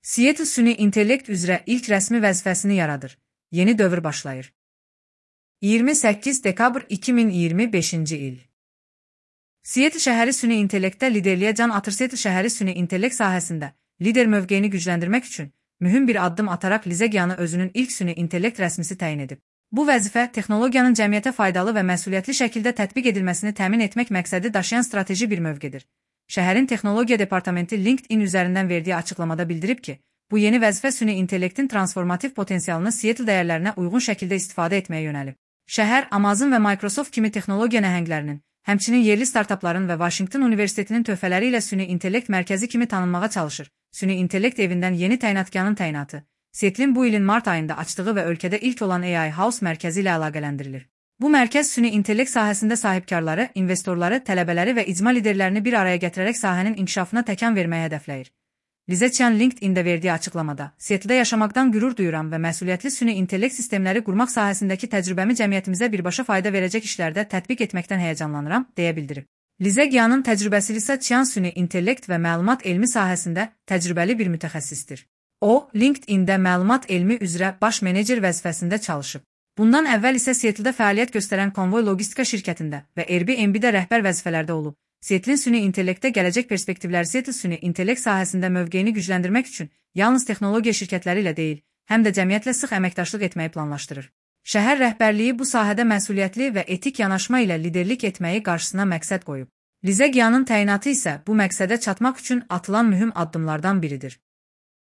Seattle süni intellekt üzrə ilk rəsmi vəzifəsini yaradır. Yeni dövr başlayır. 28 dekabr 2025-ci il. Seattle şəhəri süni intellektdə liderliyə can atır. Seattle şəhəri süni intellekt sahəsində lider mövqeyini gücləndirmək üçün mühüm bir addım ataraq Lizegianı özünün ilk süni intellekt rəsmisi təyin edib. Bu vəzifə texnologiyanın cəmiyyətə faydalı və məsuliyyətli şəkildə tətbiq edilməsini təmin etmək məqsədi daşıyan strateji bir mövqedir. Şəhərin texnologiya departamenti LinkedIn üzərindən verdiyi açıqlamada bildirib ki, bu yeni vəzifə süni intellektin transformativ potensialını Seattle dəyərlərinə uyğun şəkildə istifadə etməyə yönəlib. Şəhər Amazon və Microsoft kimi texnologiya nəhənglərinin, həmçinin yerli startapların və Washington Universitetinin töhfələri ilə süni intellekt mərkəzi kimi tanınmağa çalışır. Süni intellekt evindən yeni təyinatkarın təyinatı, Seattle'in bu ilin mart ayında açdığı və ölkədə ilk olan AI House mərkəzi ilə əlaqələndirilir. Bu mərkəz süni intellekt sahəsində sahibkarları, investorları, tələbələri və icma liderlərini bir araya gətirərək sahənin inkişafına təkan verməyə hədəfləyir. Lizegian LinkedIn-də verdiyi açıqlamada, Seattle'da yaşamaqdan qürur duyuram və məsuliyyətli süni intellekt sistemləri qurmaq sahəsindəki təcrübəmi cəmiyyətimizə birbaşa fayda verəcək işlərdə tətbiq etməkdən həyəcanlanıram, deyə bildirib. Lizegianın təcrübəsi isə Qian süni intellekt və məlumat elmi sahəsində təcrübəli bir mütəxəssisdir. O, LinkedIn-də məlumat elmi üzrə baş menecer vəzifəsində çalışıb. Bundan əvvəl isə Seattle'da fəaliyyət göstərən Konvoy Logistika şirkətində və Airbnb-də rəhbər vəzifələrdə olub. Seattle'in süni intellektdə gələcək perspektivləri Seattle süni intellekt sahəsində mövqeyini gücləndirmək üçün yalnız texnologiya şirkətləri ilə deyil, həm də cəmiyyətlə sıx əməkdaşlıq etməyi planlaşdırır. Şəhər rəhbərliyi bu sahədə məsuliyyətli və etik yanaşma ilə liderlik etməyi qarşısına məqsəd qoyub. Lizegianın təyinatı isə bu məqsədə çatmaq üçün atılan mühüm addımlardan biridir.